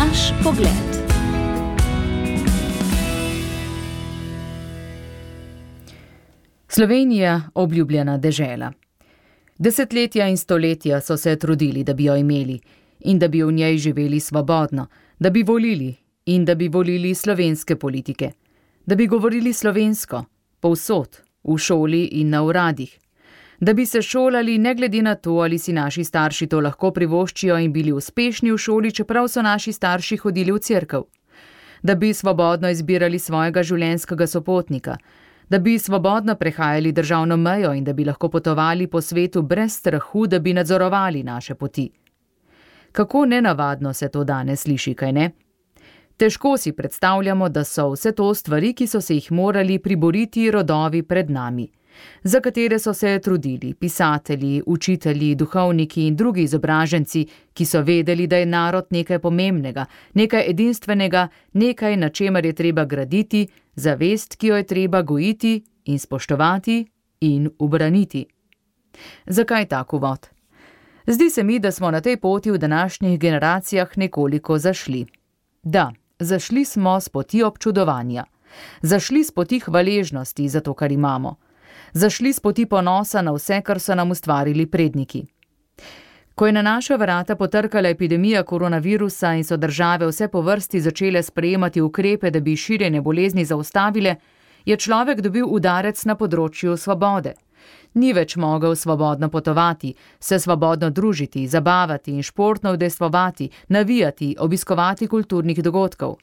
Naš pogled. Slovenija, obljubljena dežela. Desetletja in stoletja so se trudili, da bi jo imeli in da bi v njej živeli svobodno, da bi volili in da bi volili slovenske politike, da bi govorili slovensko, povsod, v šoli in na uradih, da bi se šolali ne glede na to, ali si naši starši to lahko privoščijo in bili uspešni v šoli, čeprav so naši starši hodili v cerkev, da bi svobodno izbirali svojega življenjskega sopotnika, da bi svobodno prehajali državno mejo in da bi lahko potovali po svetu brez strahu, da bi nadzorovali naše poti. Kako nenavadno se to danes sliši, kaj ne? Težko si predstavljamo, da so vse to stvari, ki so se jih morali priboriti rodovi pred nami, za katere so se trudili pisatelji, učitelji, duhovniki in drugi izobraženci, ki so vedeli, da je narod nekaj pomembnega, nekaj edinstvenega, nekaj, na čemer je treba graditi, zavest, ki jo je treba gojiti in spoštovati in ubraniti. Zakaj tak uvod? Zdi se mi, da smo na tej poti v današnjih generacijah nekoliko zašli. Da, zašli smo s poti občudovanja, zašli s poti hvaležnosti za to, kar imamo, zašli s poti ponosa na vse, kar so nam ustvarili predniki. Ko je na naša vrata potrkala epidemija koronavirusa in so države vse po vrsti začele sprejemati ukrepe, da bi širjenje bolezni zaustavile, je človek dobil udarec na področju svobode. Ni več mogel svobodno potovati, se svobodno družiti, zabavati in športno udejstvovati, navijati, obiskovati kulturnih dogodkov.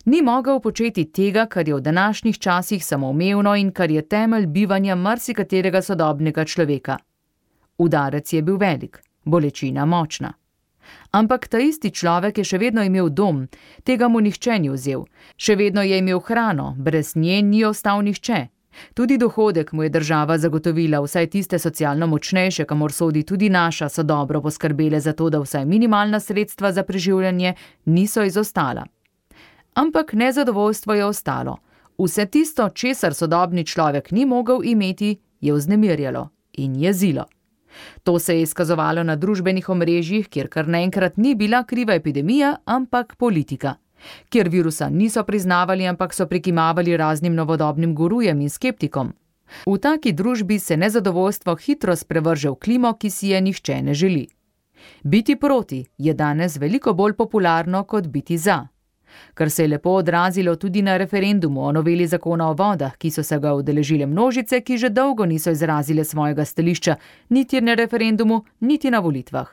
Ni mogel početi tega, kar je v današnjih časih samoumevno in kar je temelj bivanja marsikaterega sodobnega človeka. Udarec je bil velik, bolečina močna. Ampak ta isti človek je še vedno imel dom, tega mu nihče ni vzel. Še vedno je imel hrano, brez nje ni ostal nihče. Tudi dohodek mu je država zagotovila, vsaj tiste socialno močnejše, kamor sodi tudi naša, so dobro poskrbele za to, da vsaj minimalna sredstva za preživljanje niso izostala. Ampak nezadovoljstvo je ostalo. Vse tisto, česar sodobni človek ni mogel imeti, je vznemirjalo in jezilo. To se je izkazovalo na družbenih omrežjih, kjer kar naenkrat ni bila kriva epidemija, ampak politika. Kjer virusa niso priznavali, ampak so prikimavali raznim novodobnim gurujem in skeptikom. V taki družbi se nezadovoljstvo hitro sprevrže v klimo, ki si je nihče ne želi. Biti proti je danes veliko bolj popularno kot biti za. Kar se je lepo odrazilo tudi na referendumu o noveli zakona o vodah, ki so se ga udeležile množice, ki že dolgo niso izrazile svojega stališča, niti na referendumu, niti na volitvah.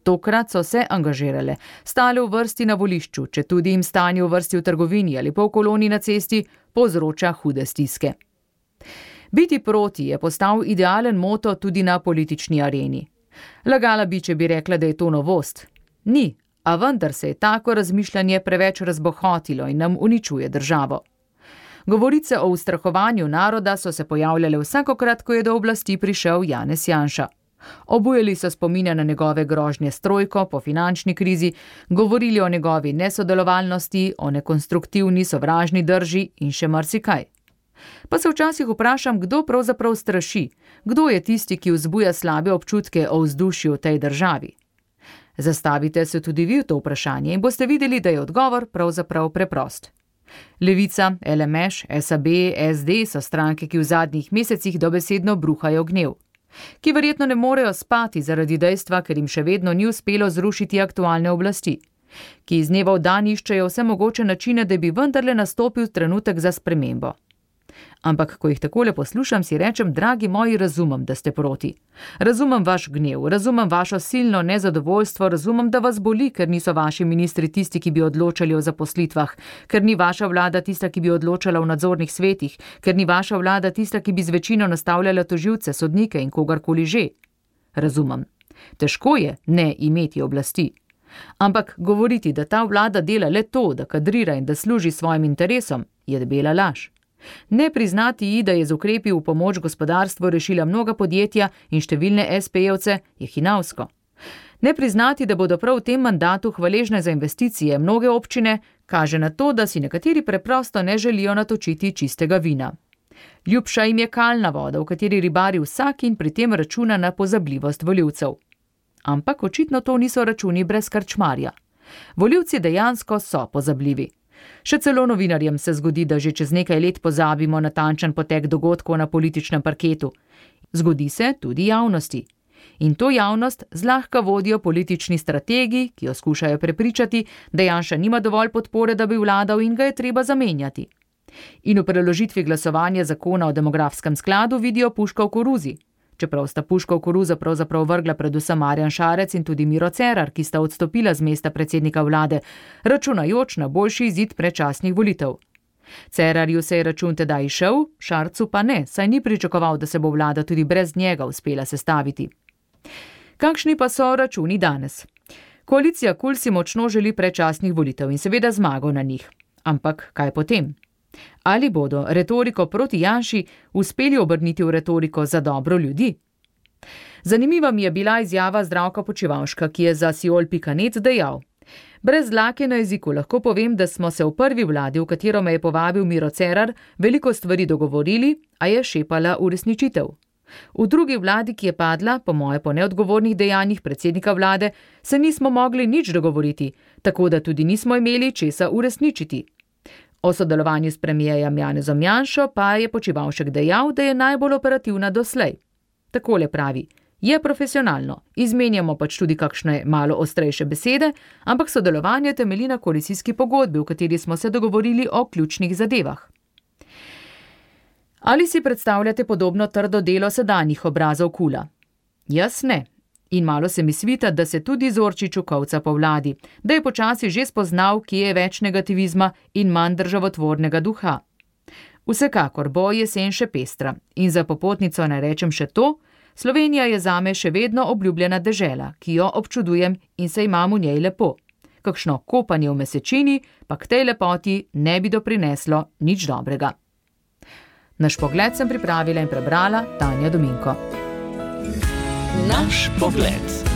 Tokrat so se angažirale, stale v vrsti na volišču, če tudi jim stanje v vrsti v trgovini ali pa v koloni na cesti povzroča hude stiske. Biti proti je postal idealen moto tudi na politični areni. Lagala bi, če bi rekla, da je to novost. Ni, a vendar se je tako razmišljanje preveč razbohotilo in nam uničuje državo. Govorice o ustrahovanju naroda so se pojavljale vsakokrat, ko je do oblasti prišel Janez Janša. Obujali so spomine na njegove grožnje s trojko po finančni krizi, govorili o njegovi nesodelovalnosti, o nekonstruktivni sovražni drži in še marsikaj. Pa se včasih vprašam, kdo pravzaprav straši, kdo je tisti, ki vzbuja slabe občutke o vzdušju v tej državi. Zastavite se tudi vi v to vprašanje in boste videli, da je odgovor pravzaprav preprost. Levica, LMŠ, SAB, SD so stranke, ki v zadnjih mesecih dobesedno bruhajo gnev. Ki verjetno ne morejo spati zaradi dejstva, ker jim še vedno ni uspelo zrušiti aktualne oblasti. Ki iz dneva v dan iščejo vse mogoče načine, da bi vendarle nastopil trenutek za spremembo. Ampak, ko jih takole poslušam, si rečem, dragi moji, razumem, da ste proti. Razumem vaš gnev, razumem vašo silno nezadovoljstvo, razumem, da vas boli, ker niso vaši ministri tisti, ki bi odločali o zaposlitvah, ker ni vaša vlada tista, ki bi odločala v nadzornih svetih, ker ni vaša vlada tista, ki bi z večino nastavljala tožilce, sodnike in kogarkoli že. Razumem. Težko je ne imeti oblasti. Ampak govoriti, da ta vlada dela le to, da kadrira in da služi svojim interesom, je debela laž. Ne priznati ji, da je z ukrepi v pomoč gospodarstvu rešila mnoga podjetja in številne SP-jevce, je hinavsko. Ne priznati, da bodo prav v tem mandatu hvaležne za investicije mnoge občine, kaže na to, da si nekateri preprosto ne želijo natočiti čistega vina. Ljubša jim je kalna voda, v kateri ribari vsak in pri tem računa na pozabljivost volivcev. Ampak očitno to niso računi brez krčmarja. Volivci dejansko so pozabljivi. Še celo novinarjem se zgodi, da že čez nekaj let pozabimo natančen potek dogodkov na političnem parketu. Zgodi se tudi javnosti. In to javnost zlahka vodijo politični strategi, ki jo skušajo prepričati, da Janša nima dovolj podpore, da bi vladal in ga je treba zamenjati. In v preložitvi glasovanja zakona o demografskem skladu vidijo puško v koruzi. Čeprav sta puško v koruzo pravzaprav vrgla predvsem Marjan Šarec in tudi Miro Cerar, ki sta odstopila z mesta predsednika vlade, računajoč na boljši izid predčasnih volitev. Cerarju se je račun tedaj izšel, Šarcu pa ne, saj ni pričakoval, da se bo vlada tudi brez njega uspela sestaviti. Kakšni pa so računi danes? Koalicija KUL si močno želi predčasnih volitev in seveda zmago na njih. Ampak kaj potem? Ali bodo retoriko proti Janši uspeli obrniti v retoriko za dobro ljudi? Zanimiva mi je bila izjava Zdravka Počivalška, ki je za Siol.net dejal: Brez dlake na jeziku lahko povem, da smo se v prvi vladi, v katero me je povabil Miro Cerar, veliko stvari dogovorili, a je šepala uresničitev. V drugi vladi, ki je padla, po moje po neodgovornih dejanjih predsednika vlade, se nismo mogli nič dogovoriti, tako da tudi nismo imeli česa uresničiti. O sodelovanju s premijerjem Janezom Janšo pa je Počivalšek dejal, da je najbolj operativna doslej. Takole pravi: je profesionalno, izmenjamo pač tudi kakšne malo ostrejše besede, ampak sodelovanje temelji na koalicijski pogodbi, v kateri smo se dogovorili o ključnih zadevah. Ali si predstavljate podobno trdo delo sedanjih obrazov KUL-a? Jaz ne. In malo se mi svita, da se tudi Zorčiču kolca po vladi, da je počasi že spoznal, kje je več negativizma in manj državotvornega duha. Vsekakor bo jesen še pestra in za popotnico ne rečem še to: Slovenija je zame še vedno obljubljena dežela, ki jo občudujem in se imam v njej lepo. Kakšno kopanje v mesečini pa k tej lepoti ne bi doprineslo nič dobrega. Naš pogled sem pripravila in prebrala Tanja Dominko. Naš pogled.